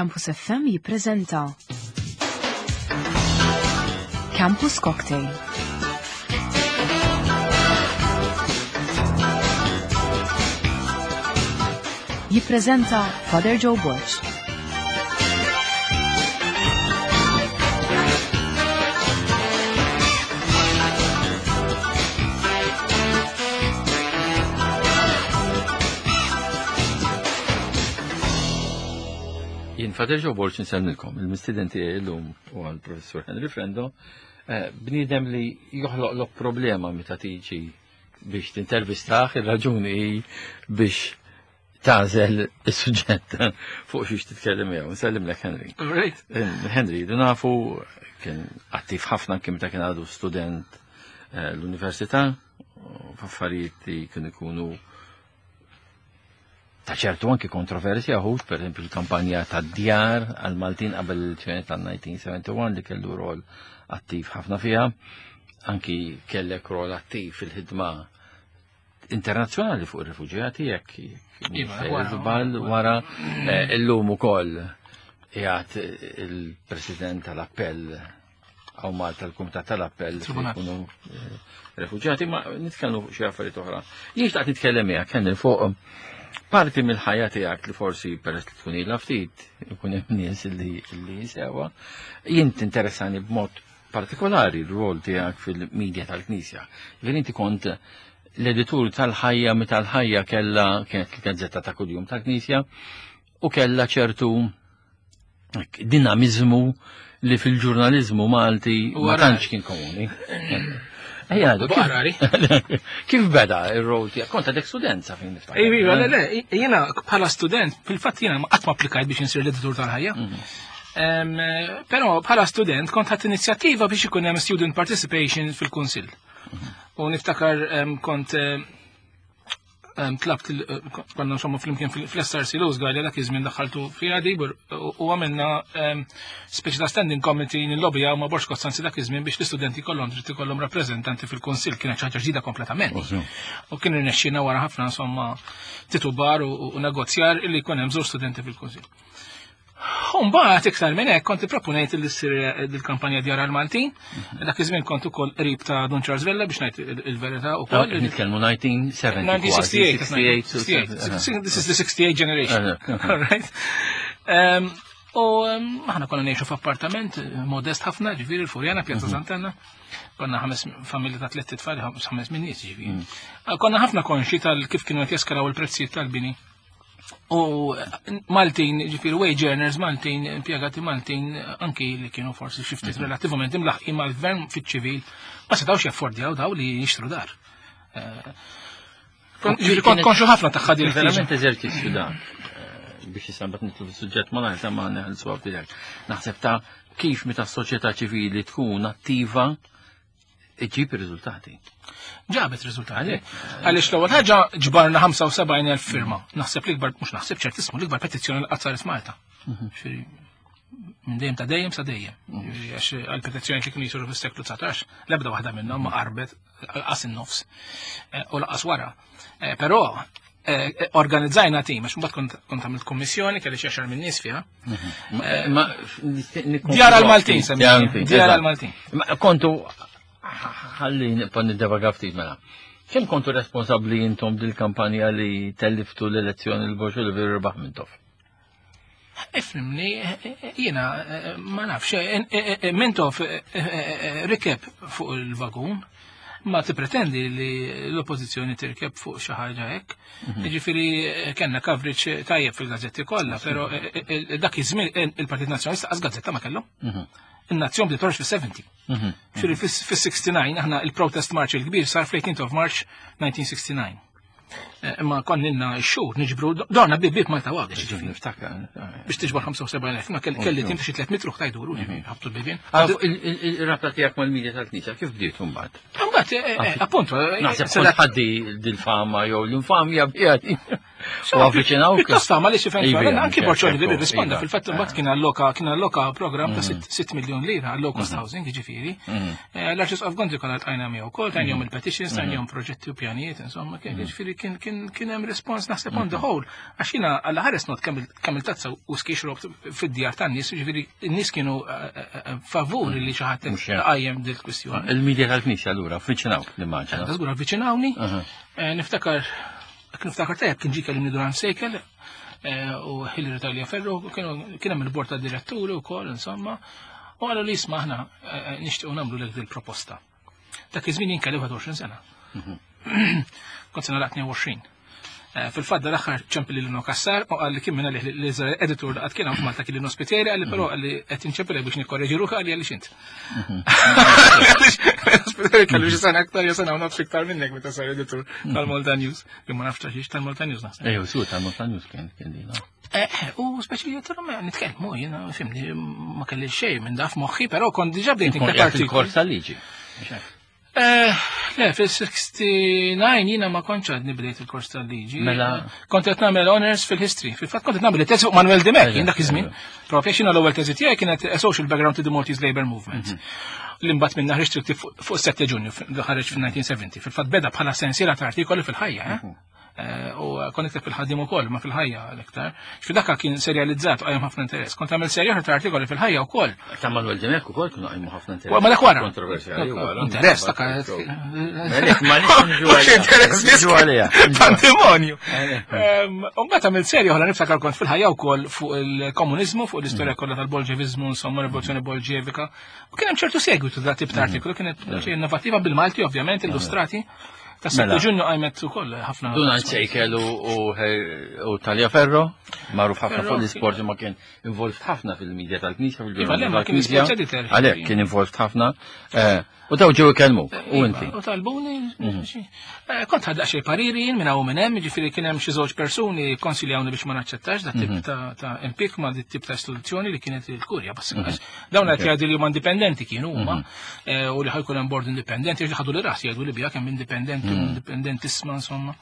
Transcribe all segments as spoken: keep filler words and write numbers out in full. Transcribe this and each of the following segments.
Campus F M jippreżenta Campus Cocktail. Jippreżenta Father Joe Borg. Jien Father Joe Borg nsellmilkom, il-mistieden tiegħi llum huwa l-Professur Henry Frendo, eh, bniedem li joħloqlok problema meta tiġi biex tintervistah, ir-raġuni hi biex tagħżel is-suġġett fuq xiex titkellem miegħu. Nsellimlek, Henry. Right. Eh, Henry, du nafu kien attiv ħafna kien meta kien għadu student eh, l-università, u f'affarijiet li kienu ikunu ta' ċertu anki kontroversja ħux, per esempio il-kampanja ta' djar għal-Maltin qabel l-elezzjoni tal-elf disa' mija u wieħed u sebgħin li kellu rol attiv ħafna fiha, anki kellek rol attiv fil-ħidma internazzjonali fuq ir-refuġjati, jekk Iva, wara, żball wara eh, illum ukoll qiegħed il-President tal-Appell hawn Malta, l-Kumitat tal-Appell fejn Tribunal. jkunu eh, refuġjati, ma nitkellmu fuq xi affarijiet oħra. Jien xtaqt nitkellem miegħek, Henry, fuq parti mill-ħajja tiegħek li forsi peress li tkun ilha ftit ikun hemm nies li li sewa. Jien tinteressani b'mod partikolari r-rol tiegħek fil-medja tal-Knisja. Ġifieri inti kont l-editur tal-Ħajja meta l-Ħajja kellha kienet il-gazzetta ta' kuljum tal-Knisja u kellha ċertu dinamizmu li fil-ġurnalizmu Malti ma Wara. tantx kien komuni. Ejja, għadu, kif- Barari. Kif beda ir-rol tiegħek? Kont għadek student sa fejn niftakar. Iva, le, le, jiena bħala student, fil-fatt jiena qatt ma applikajt biex insir l-editur tal-Ħajja. Em, Però bħala student kont ħadt inizjattiva biex ikun hemm student participation fil-kunsill. U niftakar em, kont em, em, tlabt il- eh, konna insomma flimkien fil-S R C Louis Galea dak iż-żmien daħħaltu fiha di u u għamilna em, speċi ta' standing committee nillobija ma' Borg Costanzi dak iż-żmien biex l-istudenti kollhom dritt ikollhom rappreżentanti fil-kunsill. Kienet xi ħaġa ġdida kompletament. U kien irnexxina wara ħafna insomma titubar u, u negozjar illi jkun hemm żewġ studenti fil-kunsill. Mbagħad iktar minn hekk kont ipproponejt li ssir il-kampanja Djar għal-Maltin. Dak iż-żmien kont ukoll qrib ta' Dun Charles Vella, biex ngħid il- il-verità ukoll. Nitkellmu elf disa' mija u sebgħin. elf disa' mija u sitta u sebgħin, sitta u sebgħin. sitta u sebgħin. This is the sixty-eight generation. Uh-huh. All right. Um, U um, aħna konna ngħixu f'appartament eh, modest ħafna, ġifieri l-Furjana, Pjazza Sant'Anna. Konna ħames familja ta' tliet tfal, ħames ħames minn nies ġifieri. Konna ħafna konxi tal kif kienu qed jeskalaw il-prezzijiet tal-bini. U eh, Maltin, ġifieri wage earners Maltin, impjegati Maltin, anki li kienu forsi xi ftit relattivament imlaħqin mal-gvern fiċ-ċivil, ma setgħux jaffordjaw daw li jixtru dar. Eh, kon- Ġifieri kont konxu ħafna ta' din Verament eżerċizzju dak eh, biex issa mbagħad nitlu fis-suġġett ma nagħmel ma neħelsu għaf. Naħseb ta' kif meta s-soċjetà ċivili tkun attiva iġib ir-riżultati. Ġabet riżultati. Għalhekk. Għaliex l-ewwel ħaġa ġbarna ħamsa u sebgħin elf firma. Naħseb l-ikbar, mhux naħseb, ċertismu l-ikbar petizzjoni li qatt saret Malta. Ġifieri, minn dejjem ta' dejjem sa dejjem. Ġifieri, għax għal-petizzjoni li kienu jisiru fis-seklu dsatax, l-ebda waħda minnhom ma qarbet qas in-nofs Eh, u laqas wara. Eh, Però eh, organizzajna tim, għax mbagħad kont kont għamilt kummissjoni kelli xi għaxar minn nies fiha. Ma Djar għal-Maltin, semmi. Djar għal-Maltin. Ma kontu, ħalli nibqa' niddevaga ftit mela. Kemm kontu responsabbli intom dil-kampanja li telliftu l-elezzjoni l-Borg li veru rebaħ Mintoff? Ifhimni, jiena eh, ma nafx, eh, eh, eh, Mintoff eh, eh, eh, rikeb fuq il-vagun, ma tippretendi li l-oppozizjoni tirkeb fuq xi ħaġa hekk. Ġifieri eh, kellna coverage tajjeb fil-gazzetti kollha, però eh, eh, dak iż-żmien eh, il-Partit Nazzjonalista qas gazzetta ma kellu. In-Nazzjon bdiet toħroġ fis-sebgħin. Ġifieri fis-sitta u sebgħin aħna il-protest march il-kbir sar fl-eighteenth of March nineteen sixty-nine. Eh, Imma konna xhur niġbru dorna bib bib Malta Għawdex, ġifieri Niftakar. biex tiġbor ħamsa u sebgħin elf, ma kelli kelli tim ta' xi tliet mitru ħtajduru, ġifieri, ħabtu l-bibien. Il-rabta tiegħek mal-medja tal-Knisja kif bdiet imbagħad? Mbagħad, eh, eh, appunto, eh, Naħseb se dak- kont ħaddi dil-fama jew l-infamja bijati. U avviċinawk. Pjuttost għamel xi fejn Iva, anki ċertu, Borg Olivier irrisponda iva. fil-fatt imbagħad kien alloka kien alloka programm ta' sitt miljun lira għal low cost housing, jiġifieri. Eh, L-Arċisqof Gonzi konna ltqajna miegħu wkoll, tajnihom il-petitions, tajnihom proġetti u pjanijiet, insomma, kien jiġifieri kien kien kien hemm respons naħseb on the whole. Għax jiena għalla ħares not kemm kemm il-tazza u ski xrobt fid-djar tan-nies, jiġifieri n-nies kienu eh, eh, favur li xi ħadd Mhux hekk. qajjem dil-kwistjoni. Il-medja tal-Knisja allura, avviċinawk nimmaġina. Ta' żgur avviċinawni. Aha. Eh, Niftakar, niftakar tajjeb kien ġie kellimni Durand Sejkel eh, u Hilary Tagliaferro, kienu kien hemm il-bord ta' diretturi wkoll, insomma, u qalu li isma' aħna eh, nixtiequ nagħmlu lek dil-proposta. Dak iż-żmien jien kelli wieħed u għoxrin sena. Kont sena laqt tnejn u għoxrin. Eh, Fil-fatt dal-aħħar ċempel lil Lino Cassar u qal li kien minna li l-iżgħar editur li qatt kien hawn f'Malta kien Lino Spiteri, qal li però qal li qed inċempel biex nikkorreġi ruħi, qal li għaliex int. Għaliex Lino Spiteri kellu xi sena aktar jew sena u nofs iktar minnek meta sar editur tal-Malta News. Jew ma nafx xiex tal-Malta News naħseb. Ejju, su tal-Malta News kien kien dina. Eh, u speċi jgħidilhom nitkellmu, jiena fimni ma kelli xejn minn daf moħħi, però kont diġà bdejt Nkun nikteb qiegħed artikoli. il-kors tal-liġi. Eh, Le, fil-sessjontajn jiena ma kontx għadni bdejt il-kors tal-liġi. Mela- Kont qed nagħmel honors fil-history. Fil-fatt kont qed nagħmel it-teżi fuq Manuel Dimech, jien dak iż-żmien. Propja xina l-ewwel teżi tiegħi kienet A Social Background to the Maltese Labour Movement. Li mbagħad minna ħriġt fuq fuq sette Ġunju, li ħareġ fil-elf disa' mija u sebgħin. Fil-fatt beda bħala sensiela ta' artikoli fil-ħajja, eh? Eh, U kont nikteb fil-ħaddim ukoll, ma fil-ħajja l-iktar. F'dakka kien serjalizzat u qajjem ħafna interess. Kont għamel serja oħra ta' artikoli fil-ħajja wkoll. Ta' Manuel Dimech ukoll kienu qajmu ħafna interess. Ma dak wara. Kontroversjali wara. Interess, dak. Melek, ma nix niġu Mhux għalija. interess Niġu għalija. Pandemonju. U mbagħad għamilt serja oħra niftakar kont fil-ħajja wkoll fuq il-komuniżmu, fuq l-istorja kollha tal-Bolġevizmu, insomma, rivoluzzjoni bolġevika. U kien hemm ċertu segwitu da tip ta' artikolu, kienet xi innovattiva bil-Malti ovvjament, illustrati. Ta' sette Mela. Ġunju qajmet ukoll ħafna. Donald Sejkel u, u, u Tagliaferro, magħruf ħafna Ferro, fuq l-isport ma kien involved ħafna fil-medja tal-Knisja, Iva, le, fil-ġurnalizmu ma kien tal-Knisja. sports editor. Għalhekk kien involved ħafna. Eh, U daw ġew ikellmuk, u inti. U talbuni, xi- eh, kont ħadt xi pariri jien minn hawn u minn hemm, jiġifieri kien hemm xi żewġ persuni konsiljawni biex ma naċċettax dat tip ta' ta' impik ma' dit tip ta' istituzzjoni li kienet il-kurja. Bas dawn qed jgħidu li huma indipendenti kienu huma eh, u li ħa jkun hemm bord indipendenti, għax ħadu li ras jgħidu li bija kemm indipendenti u indipendentisma insomma,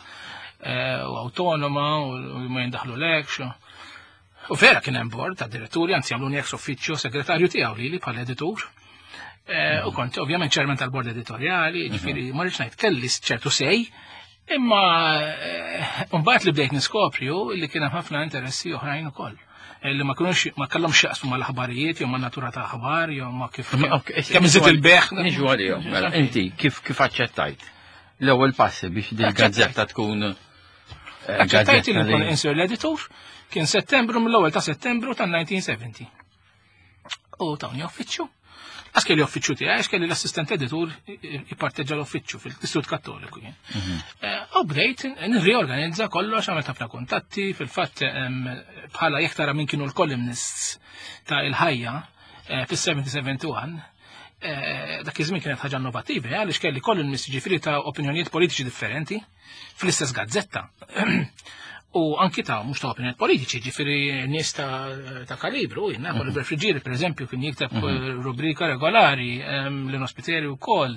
eh, u autonoma u u ma jindaħlu lekx. U vera kien hemm bord ta' diretturi, anzi għamluni ex officio segretarju tiegħu li li bħala editur. Eh, U kont ovvjament chairman tal-bord editoriali, ġifieri ma rridx ngħid kelli ċertu sej, imma eh, mbagħad li bdejt niskopri hu li kien hemm ħafna interessi oħrajn ukoll. Eh, Li ma kienux ma kellhomx x'jaqsmu mal-aħbarijiet jew ma' natura ta' aħbar jew ma' kif Ma, ok, kemm iżid il-beħ. Niġu għalihom, mela, inti kif kif aċċettajt? L-ewwel passi biex din gazzetta tkun eh, Aċċettajt li gazzetta nkun li- insir l-editur kien Settembru mill-ewwel ta' Settembru tan-elf disa' mija u sebgħin. U tawni uffiċċju. Għax kelli uffiċċju tiegħi, għax kelli l-assistent editur jipparteġġa l-uffiċċju fil-Istitut Kattoliku jien. Eh, U bdejt nirriorganizza kollox, għamilt ħafna kuntatti, fil-fatt em, bħala jekk tara min kienu l-columnists ta' il-ħajja eh, fis-sebgħa u sebgħin, eh, dak iż-żmien kienet ħaġa innovattiva, eh, għaliex kelli columnists ġifieri ta' opinjonijiet politiċi differenti fl-istess gazzetta. U anki ta' mhux ta' opinjonijiet politiċi, ġifieri nies ta', ta' kalibru, jiena Oliver Friggieri, per eżempju, kien jikteb eh, rubrika regolari, em, Lino Spiteri wkoll,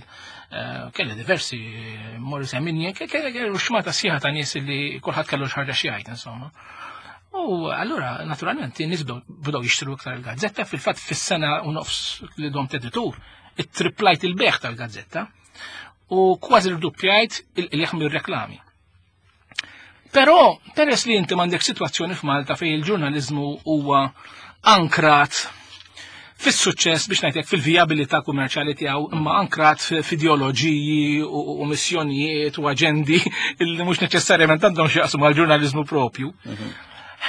eh, kelli diversi, eh, Morris Emini, kelli kelli xmata sħiħa ta' nies li kulħadd kellu xi ħaġa xi jgħid, insomma. U allura, naturalment, in-nies bdew bdew jixtru iktar il-gazzetta, fil-fatt fis-sena u nofs li domt editur, it-triplajt il-beħ tal-gazzetta u kważi rduppjajt il-qligħ mir-reklami. Però, peress li inti m'għandek sitwazzjoni f'Malta fejn il-ġurnalizmu huwa ankrat fis-suċċess biex ngħidlek fil-vijabilità kummerċjali tiegħu imma ankrat f'ideoloġiji u, u missjonijiet u aġendi illi mhux neċessarjament għandhom x'jaqsmu mal-ġurnalizmu propju.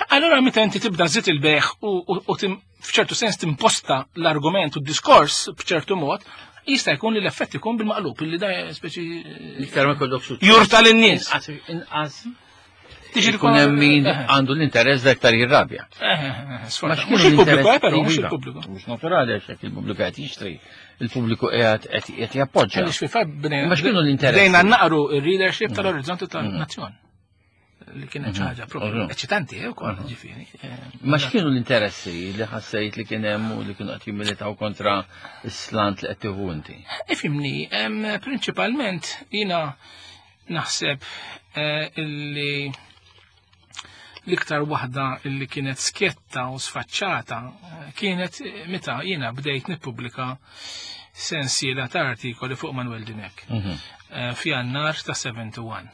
Allora meta inti tibda żid il-beħ u, u, u tim, f'ċertu sens timposta l-argument u d-diskors b'ċertu mod, jista' jkun li l-effett ikun bil-maqlub, illi da speċi Iktar ma jkollok suċċess. jurta lin-nies. Inqas inqas Tiġi ikun hemm min Eh, għandu l-interess aktar jirrabja. eh, eh, Ma Mhux il-pubbliku, eh, però, mhux Iva, il-pubbliku. Mhux naturali għax jekk il-pubbliku qed jixtri, il-pubbliku qiegħed qed qed jappoġġja. Għaliex fil-fatt bdejna Ma x'kienu l-interessi? bdejna naqru il-readership tal-orizzonti tal-nazzjon. Li kienet xi ħaġa propju Mhm. eċitanti eh, ukoll, ġifieri. Eh, Ma x'kienu l-interessi li ħassejt li kien hemm u li kienu qed jimmilitaw kontra s-slant li qed tieħu inti? Ifimni, em, prinċipalment jina naħseb eh, illi L-iktar waħda li kienet skjetta u sfaċċata kienet meta jiena bdejt nippubblika sensiela ta' artikoli fuq Manuel Dimech f'Jannar ta' sebgħa u sebgħin.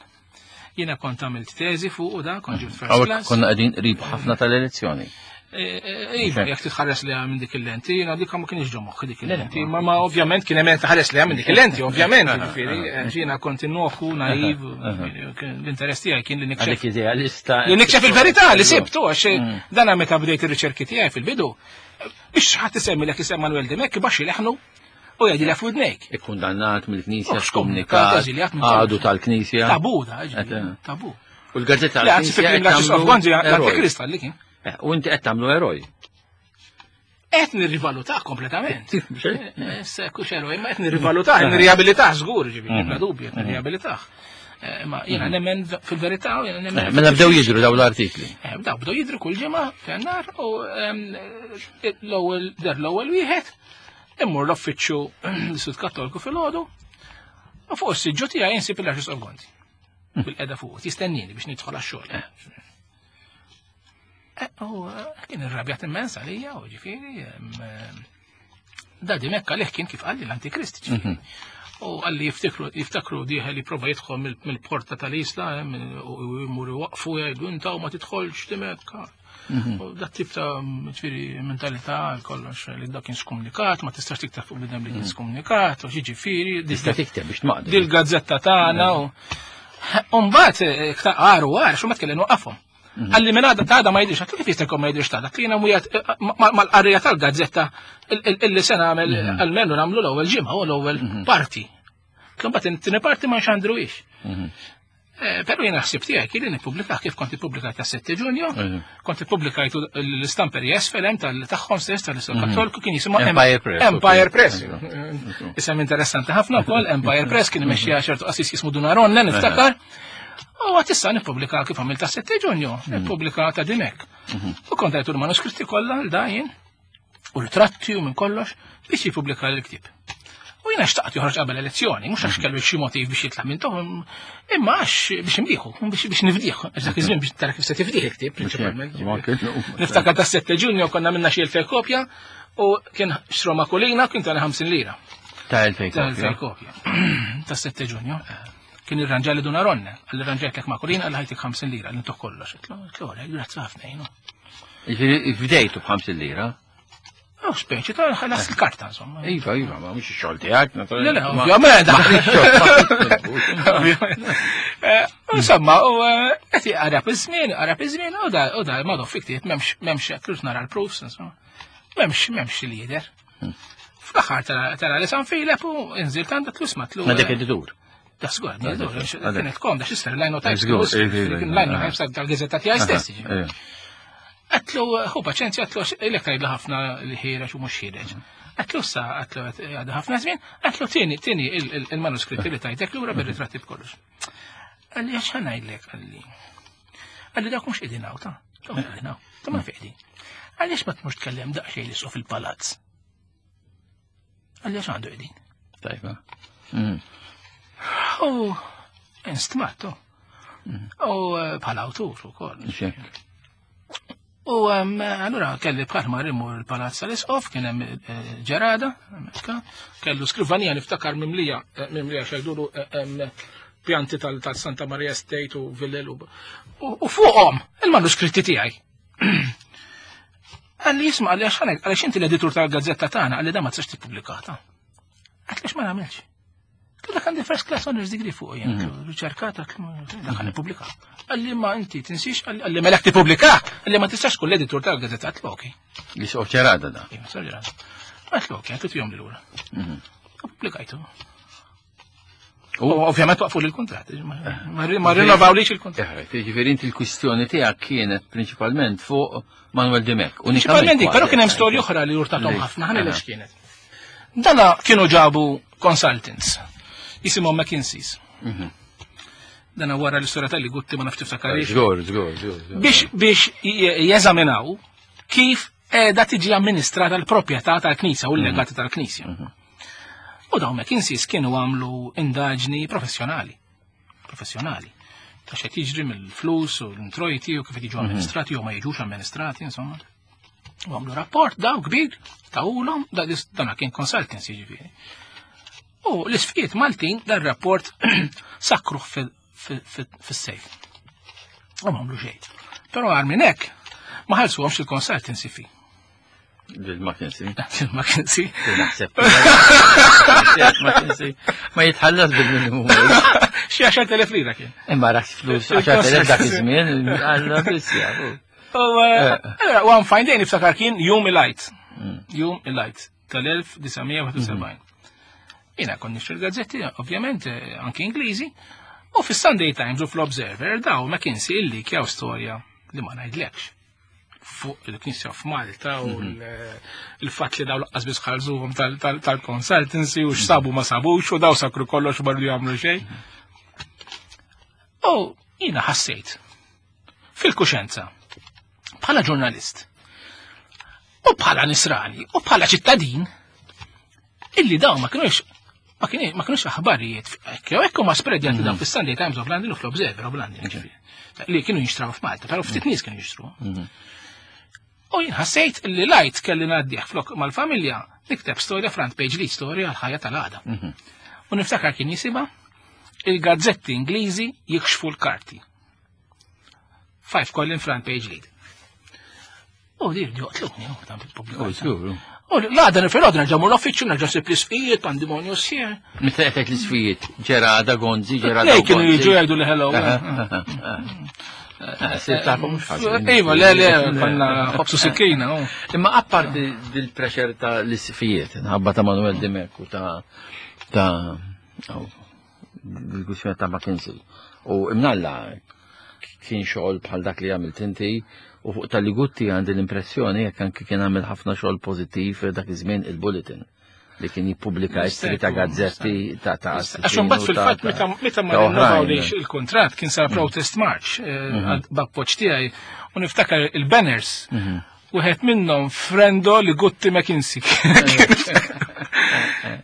Jiena kont għamilt teżi fuq u da, kont ġibt first class. Konna qegħdin qrib ħafna tal-elezzjoni. Iva, jekk titħares li minn dik il-lenti, jiena dik ma kienx ġo moħħi dik il-lenti, ma ma ovvjament kien hemm tħares li minn dik il-lenti, ovvjament, jiġifieri, jiena kont innoku, naiv, l-interess tiegħi kien li nikxef. Għalik idealista. Li nikxef il-verità li sibtu, għax dana meta bdejt ir-riċerki tiegħi fil-bidu, biex ħadd isemmi lek isem Manuel Dimech baxxi leħnu u jgħidilek f'widnejk. Ikkundannat mill-Knisja, skomunikat, għadu tal-Knisja. Tabu da, tabu. U l-gazzetta Le, anzi fil-klim l-Antikrist li kien. U inti qed tagħmlu eroj. Qed nirrivalutah kompletament. Kux eroj, ma qed nirrivalutah, nirriabilitah żgur, ġifieri, bla dubju, qed nirriabilitah. Ma jiena nemmen fil-verità u jiena nemmen. Mela bdew jidru daw l-artikli. Daw bdew jidru kull ġimgħa f'Jannar u l-ewwel der l-ewwel wieħed immur l-uffiċċju l-Istitut Kattoliku fil-ħodu u fuq is-siġġu tiegħi insib il-Arċisqof Gonzi. Bil-qeda fuq, jistennini biex nidħol għax-xogħol. U kien irrabjat immens għalija u ġifieri da Dimech għalih kien kif qalli l-Antikrist. U qalli jiftakru jiftakru dieħel li prova jidħol mill-porta tal-Isla u jmur waqfu jgħidu inta u ma tidħolx Dimech. U dat tip ta' ġifieri mentalità kollox li dak kien skomunikat, ma tistax tikteb fuq bidem li kien skomunikat, u ġifieri. Tista' tikteb biex tmaqdu. Dil-gazzetta tagħna u mbagħad għar u għar, xu ma tkellem waqafhom. Għalli minn għada ta' ma jidrix, kif jista' jkun ma jidrix ta' dak li mujat mal-qarrija tal-gazzetta illi se nagħmel almenu nagħmlu l-ewwel ġimgħa u l-ewwel parti. Kien bagħad it-tieni parti ma nxandruhiex. Però jiena ħsib tiegħi kien li nippubblika kif kont ippubblikajt ta' sette Ġunju, kont ippubblikajt l-istamperija esfelem tal-tagħhom stess tal-Islam Kattoliku kien jisimha Empire Press. Empire Press. Isem interessanti ħafna wkoll, Empire Press kien imexxija ċertu qassis jismu Dunaronne niftakar. U għat issa nippubblika kif għamil ta' sette Ġunju, nippubblika ta' Dimech. U kont għajtu l-manuskritti kollha l-dajin, u ritratti u minn kollox, biex jippubblika l-ktieb. U jiena xtaqt joħroġ qabel elezzjoni, mhux għax kellu xi motiv biex jitlaq minn tohom, imma għax biex imdieħu, biex nifdieħ, għax dak iż-żmien biex tara kif se tifdieħ il-ktieb prinċipalment. Niftakar ta' sette Ġunju konna minna xi elfej kopja u kien xro makulina kien tani ħamsin lira. Ta' elfej Ta' elfej kopja. Ta' sette Ġunju. Kien irranġa li Duna Ronne, għalli rranġajt lek makulina għalli ħajtik ħamsin lira, għalli ntuh kollox. Tlu, grazzi ħafna jenu. Ġifieri fdejtu b'ħamsin lira? Oh, speċi ta' ħalas il-karta, insomma. Iva, iva, ma mhux ix-xogħol tiegħek, Le, le, ovvjament. Insomma, u qed qarab iż-żmien, qarab iż-żmien, u da u da ma fi ktieb m'hemmx m'hemmx qed nara l-proofs, insomma. M'hemmx m'hemmx li-jidher. Fl-aħħar tara li San Filep u inżilt għandha tlus matlu. Ma dik editur. Da żgur, kienet komda x'isser l-linotype. Kien l-linotype tal-gazzetta tiegħi stess. Għatlu, hu paċenzja, għatlu, ilek tgħidlu ħafna li ħiereġ u mhux ħiereġ. Għatlu sa, għatlu għadha ħafna żmien, għatlu tieni, tieni il-manuskritti li tajtek lura bir-ritratti b'kollox. Għalli għax ħa ngħidlek, għalli. Għalli dak mhux qegħdin hawn, ta' dak mhux qegħdin hawn, ta' ma qegħdin. Għaliex ma tmux tkellem daqsxejn li suq fil-palazz. Għalli għax għandu qegħdin. Tajba. U instmattu. U bħala awtur ukoll. U allura kelli bħal ma immur il-palazz tal-Isqof, kien hemm ġerada, kellu skrivanija niftakar mimlija, mimlija xejdulu pjanti tal-Santa Maria Estate u Villel u fuqhom il-manuskritti tiegħi. Għalli jisma' għalli għax għaliex inti l-editur tal-gazzetta tagħna għalli da ma tistax tippubblikata. Għax ma nagħmilx. Dak għandi first class honors degree fuq jien, riċerkata, dak għandi pubblika. Għalli ma inti tinsix, għalli melek tippubblika, għalli ma tistax tkun l-editur tal-gazzetta, għatlu okej. Li soq ġerada da. Iva, soq ġerada. Għatlu okej, għatlu tijom li lura. Pubblikajtu. U ovvjament waqfu l-kontrat, ma rinnovaw lix il-kontrat. Ġifieri inti l-kwistjoni tiegħek kienet prinċipalment fuq Manuel Dimech. Prinċipalment dik, però kien hemm storja oħra li urtathom ħafna, ħani lex kienet. Dana kienu ġabu consultants, jisimhom McKinsey's. Dana wara l-istorja tal-li gutti ma nafx tiftakarix. Żgur, żgur, żgur. Biex biex jeżaminaw kif qiegħda tiġi amministrata l-proprjetà tal-Knisja u l-legati tal-Knisja. U dawn McKinsey's kienu għamlu indaġni professjonali. Professjonali. Ta' x'qed jiġri mill-flus u l-introjti u kif qed jiġu amministrati jew ma jiġux amministrati, insomma. U għamlu rapport daw kbir, tawulhom, dana kien consultancy ġifieri. U l-isqfijiet Maltin dan rapport sakkruh fis-sejf. U ma għamlu xejn. Però għar minn hekk ma ħallsuhomx il-consultancy fee. Bil-McKinsey. Il-McKinsey. Naħseb. McKinsey. Ma jitħallas bil-minimum wage. Xi għaxart elef lira kien. Imma rak flus għaxart elef dak iż-żmien, għalla biss jafu. U eh, one fine day niftakar kien Jum il-Għid. Jum il-Għid tal-elf disa' mija u wieħed u sebgħin. Jiena kont nixtri l-gazzetti, ovvjament, eh, anki Ingliżi, u fis-Sunday Times u fl-Observer daw McKinsey illi kjaw storja li ma ngħidlekx fuq il-Knisja f'Malta u l-fatt li daw laqqas biss ħallsuhom tal-consultancy u x'sabu ma sabux u daw sakru kollox u barru jagħmlu xejn. U jiena ħassejt fil-kuxenza bħala ġurnalist u bħala nisrani u bħala ċittadin illi daw ma kienux ma kienux aħbarijiet jew hekk huma spreadjati daw fis-Sunday Times of London u fl-Observer of London li kienu jinxtraw f'Malta, però ftit nies kienu jixtru. U jien ħassejt li l-Għid kelli ngħaddih flok mal-familja nikteb storja front page lead storja għal-ħajja tal-għada. U niftakar kien jisimha "Il-gazzetti Ingliżi jikxfu l-karti". Five column front page lead. U di joqtluni, u dan U żgur. U l-għada nifirod nerġa' mur l-uffiċċju, nerġa' nsib l-isqfijiet, pandimonju sħiħ. Meta qed l-isqfijiet, Ġerada Gonzi, Ġerada Lej kienu jiġu jgħidu li hello. Sir tafhom mhux ħażin. Iva, le, le, konna ħobsu sikkina. Imma apparti dil-pressure ta' l-isqfijiet, nħabba ta' Manuel Dimech u ta' ta' diskussjoni ta' McKinsey. U imnalla kien xogħol bħal dak li għamilt inti u fuq tal-Ligutti għandi l-impressjoni jekk anki kien għamil ħafna xogħol pożittiv dak iż-żmien il-Bulletin li kien jippubblika istri ta' gazzetti ta' ta' Għax imbagħad fil-fatt meta meta ma rinnovawlix il-kuntratt kien sar protest march eh, b'appoġġ tiegħi u niftakar il-banners. Wieħed minnhom "Frendo Ligutti McKinsey".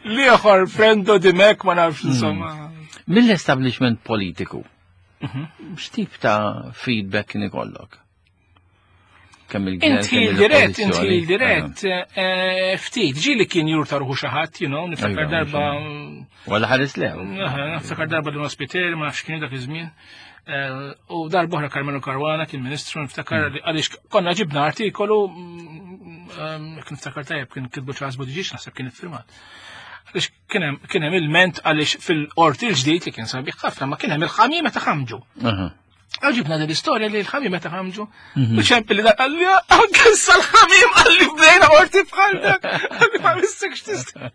L-ieħor "Frendo Dimech", ma nafx insomma. Mill-establishment politiku, x'tip ta' feedback kien ikollok? Kemm il-gvern, Inti kemm dirett, inti l-oppożizzjoni? Dirett, eh, ftit, ġili kien jurta ruħu xi ħadd, you know, niftakar Iva, darba. Wala ħares lew. Aha, niftakar darba Dun Ospiteri, ma nafx kien dak iż-żmien. Eh, U darba oħra Carmelo Caruana kien ministru, niftakar li għaliex konna ġibna artikolu, mm, ehm, jekk niftakar tajjeb kien kitbu Charles Buttigieg, naħseb kien iffirmat. Għaliex kien hemm kien hemm ilment għaliex fil-qorti l-ġdid li kien sabiħ ħafna ma kien hemm il-ħamiem meta ħamġu. Aha. Għaġibna din l-istorja li l-ħamiem meta ħamġu. U ċempi li dak qalli anke issa l-ħamiem qalli bdejna qorti bħal dak. Qalli ma missekx tista'.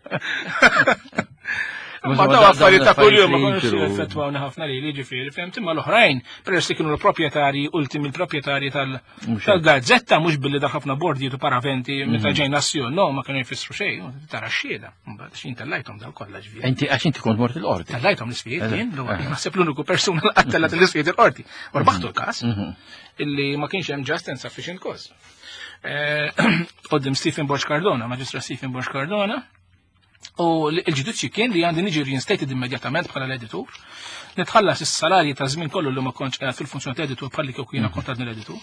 Ma daw affarijiet ta' kuljum ma konux effettwawna ħafna li li ġifieri, fhimt, imma l-oħrajn, peress li kienu l-proprjetarji, ultimi l-proprjetarji tal-gazzetta, mhux billi dak ħafna bordijiet u paraventi meta ġejna s no, ma kienu jfissru xejn, tara x-xhieda. Mbagħad xin tellajthom daw kollha ġifieri. Inti għax inti kont mort il-qorti. Tellajthom l-isqfijiet jien, naħseb l-uniku persuna li għattellat l-isqfijiet il-qorti. U rbaħtu l-każ illi ma kienx hemm just and sufficient cause. Quddiem Stephen Borg Cardona, Maġistra Stephen Borg Cardona, u l-ġudizzju kien li għandi niġi reinstated immedjatament bħala l-editur, nitħallas is-salarji ta' żmien kollu li ma kontx qiegħed fil-funzjoni ta' editur bħalli kieku jiena kont għadni l-editur.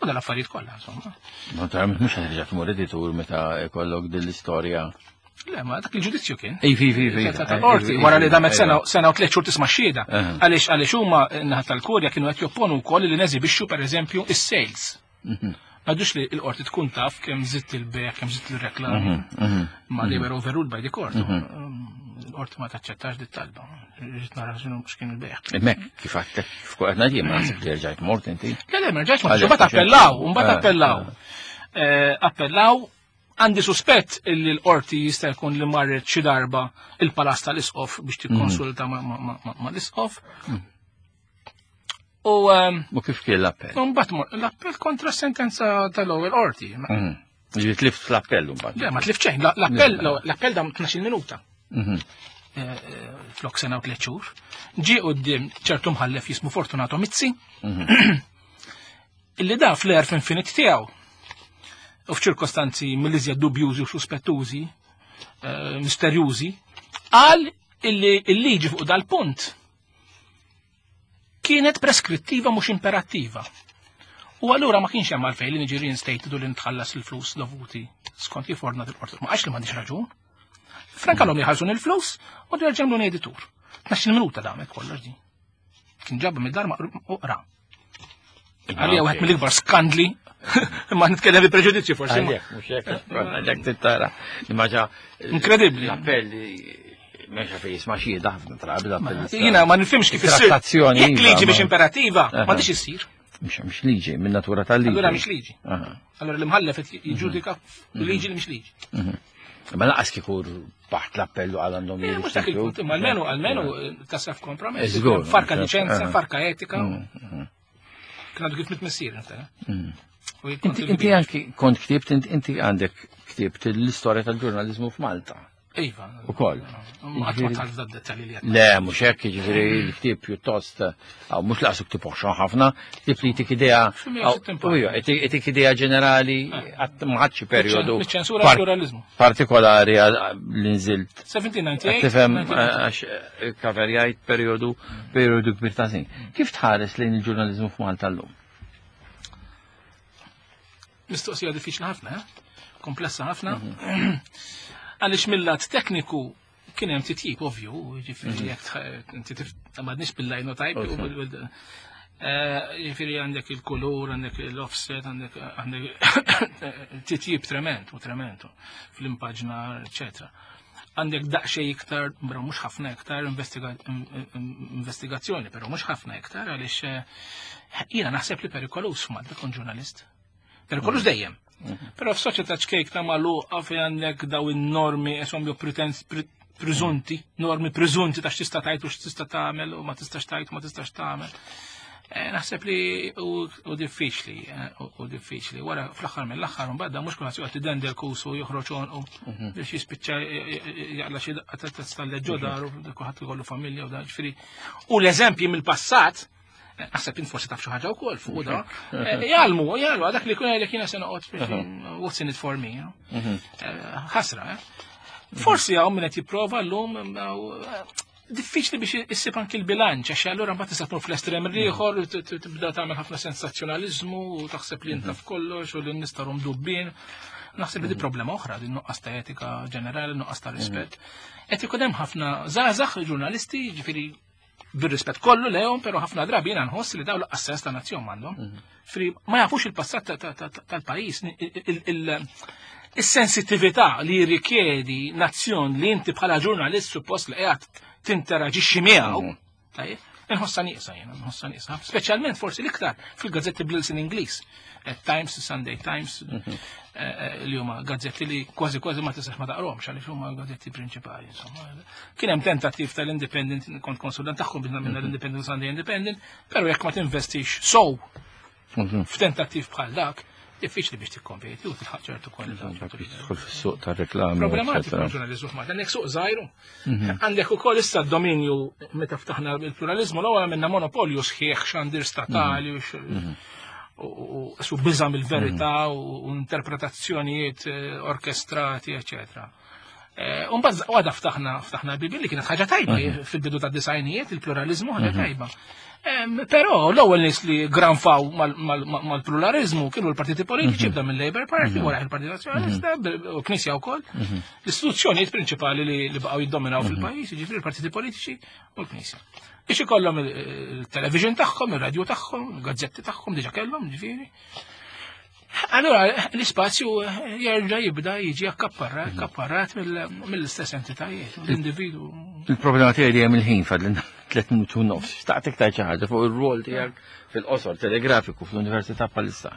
U dal-affarijiet kollha, insomma. Naturalment mhux ħa tmur editur meta jkollok din l-istorja. Le, ma dak il-ġudizzju kien. Ej, fi, fi, fi. Tal-qorti, wara li damet sena sena u tliet xhur tisma' xhieda. Għaliex għaliex huma naħa tal-kurja kienu qed jopponu wkoll li neżibixxu pereżempju is-sales. Għadux li l-qorti tkun taf kemm żidt il-bejgħ, kemm żidt il-reklami. Ma they were overruled by the court. L-qorti ma taċċettax dit talba. Rrid nara x'inhu x'kien il-bejgħ. Mek, kif għattek, kif qed ngħid ma naħseb li rġajt mort inti. Le, le, ma rġajtx mort, mbagħad appellaw, mbagħad appellaw. Appellaw, għandi suspett illi l-qorti jista' jkun li marret xi darba il-palast tal-isqof biex tikkonsulta ma' l-isqof. U U kif kien l-appell? Mbagħad l-appell kontra sentenza tal-ewwel qorti. Ġifieri tlift l-appell mbagħad. Le, ma tlift xejn, l-appell l-appell dam tnax-il minuta. Flok sena u tliet xhur. Ġie quddiem ċertu mħallef jismu Fortunato Mizzi. Illi da fl-għerf infinit tiegħu. U f'ċirkostanzi mill-iżjed dubjużi u suspettużi, misterjużi, qal illi il-liġi fuq dal-punt Kienet preskrittiva mhux imperattiva. U allura ma kienx hemm għalfejn li niġi reinstated u li nitħallas il-flus dovuti skont kif ordnat il-qorti. Ma għax li m'għandix raġun. Frankalhom jħallsun il-flus u nerġa' jagħmluni editur. Tnax-il minuta damet kollox din. Kien ġabba mid-dar u qra. Għalija wieħed mill-ikbar skandli, imma nitkellem bi preġudizzju forsi. Għalhekk, mhux hekk, għalhekk tittara. Imma Inkredibbli. L-appelli mexa fejn jisma' xhieda ħafna drabi l-appelli. Jiena ma nifhimx kif issir. Trattazzjoni, Jekk iva, liġi ma- biex imperattiva, Aha. ma tix issir. Mhux mhux liġi, minn natura tal-liġi. Allura mhix liġi. Aha. Allura l-imħallef qed jiġġudika liġi li mhix liġi. Ma laqas kieku baħt l-appellu għal għandhom Eh, Mhux dak il-punt, imma almenu almenu tasaf kompromess. Żgur, Farka eh, liċenza, eh. farka etika. Kien għadu kif mit-missier, inta. U jien kont Inti inti il-kbir. anki kont ktibt, inti- inti għandek ktibt l-istorja tal-ġurnalizmu f'Malta. Iva. Ukoll. Ma qatt ma tħallf da dettalji li qed. Le, mhux hekk, jiġifieri l-ktieb pjuttost, aw mhux laqsu ktieb oħxon ħafna, ktieb li jtik idea, Xi mija sittin aw, ija, jtik jtik idea ġenerali, qatt ma ħadx perjodu Miċ-ċensura par- pluralizmu. partikolari għal- li nżilt. seventeen ninety-eight. Tifhem għax eh, kaverjajt perjodu perjodu kbir ta' snin. Kif tħares lejn il-ġurnalizmu f'Malta llum? Mistoqsija diffiċli ħafna, eh? Komplessa ħafna. Għaliex mill-lat tekniku kien hemm titjib ovvju, jiġifieri jekk tħ- inti tif- m'għadniex bil-linotype u bil- bil- eh, jiġifieri għandek il-kulur, għandek l-offset, għandek għandek titjib trement u trementu fl-impaġna, eccetera. Għandek daqsxejn iktar, bra mhux ħafna iktar investiga- in- in- investigazzjoni, però mhux ħafna iktar għaliex eh, jiena naħseb li perikolus f'Malta tkun ġurnalist. Perikolus dejjem. Però f'soċjetà ċkejkna magħluqa fejn għandek daw in-normi esom jew pretens pre- preżunti, normi preżunti ta' x'tista' tgħid u x'tista' tagħmel u ma tistax tgħid u ma tistax tagħmel. Eh, Naħseb li u u diffiċli, eh, u u diffiċli. Wara fl-aħħar mill-aħħar mbagħad mhux kulħadd joqgħod idendel kusu joħroġ għonqu biex jispiċċa jaqla xi daqqa ta' stalleġġo ġodar u kulħadd ikollu familja u da ġifieri. U l-eżempji mill-passat, eh, naħseb int forsi taf xi ħaġa wkoll fuq da, eh, jgħallmu, jgħallmu, dak li kun jgħidlek jiena se noqgħod biex, what's in it for me, you know? Eh, ħasra, eh? Forsi hawn min qed jipprova llum eh, diffiċli biex issib anki l-bilanċ, għax allura mbagħad tista' tmur fl-estrem l-ieħor, t- t- tibda tagħmel ħafna sensazzjonaliżmu u taħseb li inta f'kollox u li n-nies tarhom dubbien. Naħseb li di problema oħra, din nuqqas ta' etika ġenerali, nuqqas ta' rispett. Qed ikun hemm ħafna żgħażagħ ġurnalisti, ġifieri bir-rispett kollu lehom, però ħafna drabi jiena nħoss li dawn laqqas sens ta' nazzjon m'għandhom. Fri ma jafux il-passat ta- ta- ta- tal-pajjiż, il- il- is-sensitività li jirrikjedi nazzjon li inti bħala ġurnalist suppost li qiegħed tinteraġixxi miegħu. Tajjeb, inħossa nieqsa jiena, nħossa nieqsa. Speċjalment forsi l-iktar fil-gazzetti bl-ilsien Ingliż. Eh, Times, Sunday Times, eh, eh, li huma gazzetti li kważi kważi ma tistax ma taqrahomx għaliex huma gazzetti prinċipali. Insomma. Kien hemm tentattiv tal-Independent, kont konsulent tagħhom biex nagħmilna l-Independent Sunday Independent, però jekk ma tinvestix sow f'tentattiv bħal dak, diffiċli biex tikkompeti u tilħaq ċertu kwalità. Tidħol fis-suq tar-reklami. Problematiku eccetera. l-ġurnalizmu f'Malta. Għandek suq żgħiru. Għandek ukoll issa d-dominju meta ftaħna il-pluralizmu l-ewwel għamilna monopolju sħiħ xandir statali u x- u u su biża mill-verità u u interpretazzjonijiet eh, orkestrati, eccetera. Umbagħad għada ftaħna ftaħna bibi li kienet ħaġa tajba fil-bidu ta' disajnijiet, il-pluralizmu ħaġa tajba. Em, Però l-ewwel nies li granfaw mal- mal- mal-pluralizmu kienu l-partiti politiċi, bda mill-Labour Party, wara il-Partit Nazzjonalista, b- u Knisja wkoll. L-istituzzjonijiet prinċipali li li baqgħu jiddominaw fil-pajjiż, jiġifieri l-partiti politiċi u l-Knisja. Biex ikollhom il- il-television tagħhom, ir-radju tagħhom, il-gazzetti tagħhom diġà kellhom, ġifieri. Allora, l-ispazju jerġa' jibda jiġi akkapparrat, akkapparrat mill- mill-istess entitajiet, l-individu. Il-problema tiegħi li hemm il-ħin fadlilna tliet minuti u nofs. Xtaqtek tgħid xi ħaġa fuq ir-rwol tiegħek fil-qosor telegrafiku fl-Università bħalissa.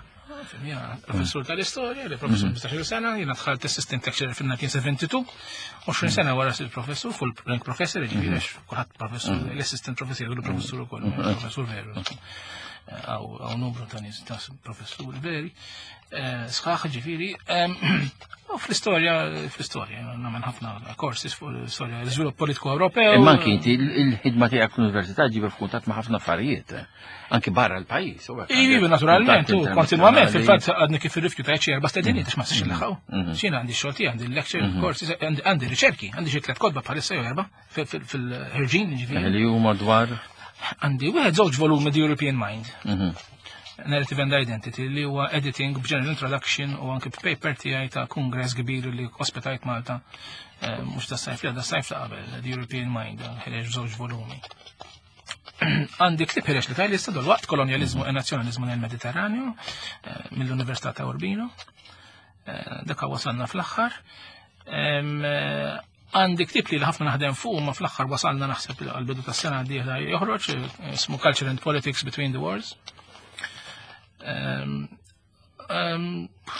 Jena professur tal-istorja, li professur ħmistax-il sena, jena dħalt assistant lecturer fil-nineteen seventy-two, għoxrin sena wara sirt professur, full rank professor, ġifieri għax kulħadd professur, l-assistant professor, jgħidu professur ukoll, professur veru. Għaw numru ta' nies ta' professuri veri, sħaħ ġifieri. U fl-istorja, fl-istorja, nagħmel ħafna courses fuq l-istorja, l-iżvilupp politiku Ewropew. Imma anki inti il-ħidma tiegħek fl-università ġiba f'kuntatt ma' ħafna affarijiet, anki barra l-pajjiż. u hekk Ivi, għandek naturalment, u kuntatt kontinwament, internazzjonali. fil-fatt għadni kif irrifjutajt xi erba' stediniet għax ma nistax nilħaqu. Xina għandi xogħol tiegħi, għandi lecture, courses, għandi għandi riċerki, għandi xi tliet kotba bħalissa jew erba' fil-ħirġin, ġifieri. Li huma dwar Għandi wieħed żewġ volumi The European Mind. Narrative and Identity li huwa editing b'general introduction u anke paper tiegħi ta' kongress kbir li ospitajt Malta eh, mhux ta' sajf li għadda sajf ta' qabel, The European Mind, ħareġ żewġ volumi. Għandi ktieb ħareġ li tajli issa waqt Kolonjalizmu e Nazzjonalizmu nel Mediterraneo eh, mill-Università ta' Urbino. Eh, Dak wasalna fl-aħħar. Em, eh, Għandi ktieb li ħafna naħdem fuq ma fl-aħħar wasalna naħseb għal-bidu tas-sena d-dieħla joħroġ, eh, ismu Culture and Politics Between the Wars. Em, em,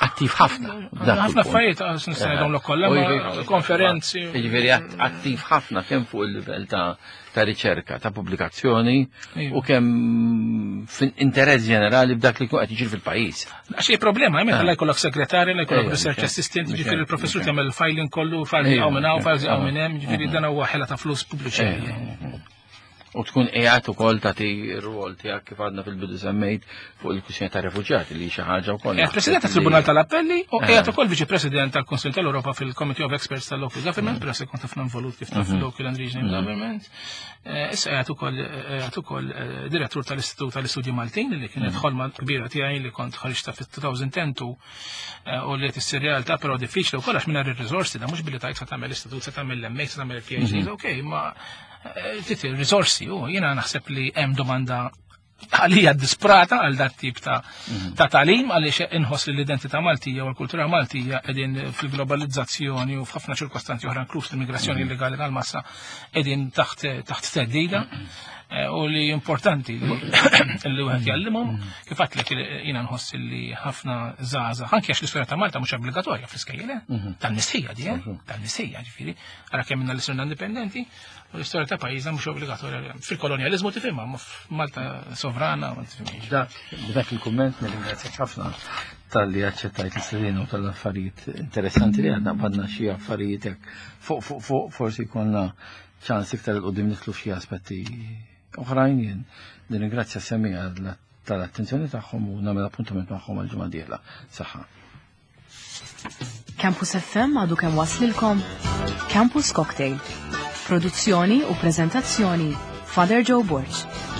Attiv ħafna. dak ħafna il-punt. affarijiet għax nista' ngħidhom kollha, U ma jiġifieri- konferenzi. Jiġifieri att- attiv ħafna kemm fuq il-livell ta' ta' riċerka, ta' pubblikazzjoni Iva. u kemm fin interess ġenerali b'dak li jkun qed jiġri fil-pajjiż. Għax hi problema, meta la jkollok segretarja, la jkollok Ejja, research mhux hekk, assistant, mhux ġifieri hekk, il-professur mhux hekk. tagħmel filing kollu, files Ejja, hawn minn hawn, mhux files hekk, hawn minn hemm, ġifieri mhm. dan huwa ħela ta' flus pubbliċi. U tkun qiegħed ukoll tagħti r-rwol tiegħek kif għadna fil-bidu semmejt fuq il-kwistjoni ta' refuġjati li xi ħaġa wkoll. Qiegħed President tat-Tribunal tal-Appelli u Eh. qiegħed ukoll Viċi President tal-Kunsill tal-Ewropa fil-Committee of Experts tal-Local Government, però se kont ħafna involut kif taf fil-Local and Regional Government. Eh, Issa qiegħed ukoll qiegħed ukoll eh, direttur tal-Istitut tal-Istudji Maltin li kienet ħolma kbira tiegħi li kont ħariġta fit-elfejn u għaxra eh, u li tissir realtà però diffiċli wkoll għax mingħajr ir-riżorsi da mhux billi tajt se tagħmel istitut, se tagħmel l-M A, se tagħmel il-P H D, ok, ma eh, trid ir-riżorsi u jiena naħseb li hemm domanda għalija disprata għal dat tip ta' ta' tagħlim għaliex inħoss li l-identità Maltija u l-kultura Maltija qegħdin fil-globalizzazzjoni u f'ħafna ċirkostanzi oħra, inkluż l-immigrazzjoni illegali tal-massa, qegħdin taħt taħt theddida eh, u li importanti li li wieħed jgħallimhom. Kif għedtlek, jiena nħoss li ħafna żgħażagħ, anke għax l-istorja ta' Malta mhux obbligatorja fl-iskejjel, eh? Tal-mistħija di, eh? Tal-mistħija, ġifieri ara kemm minna li sirna indipendenti u l-istorja ta' pajjiżna mhux obbligatorja. Fil-kolonjalizmu tifhimha, ma f'Malta sovrana ma tifhimx. Dak, b'dak il-kumment nirringrazzjak ħafna tal-li aċċettajt l-istedina u tal-affarijiet interessanti li għadna għadna xi affarijiet hekk fuq fuq fuq forsi konna ċans iktar 'il quddiem nidħlu f'xi aspetti oħrajn. Jien nirringrazzja semmiegħa tal-attenzjoni tagħhom u nagħmel appuntament magħhom għal-ġimgħa dieħla. Saħħa. Campus F M għadu kemm waslilkom Campus Cocktail. Produzzjoni u prezentazzjoni Father Joe Borg.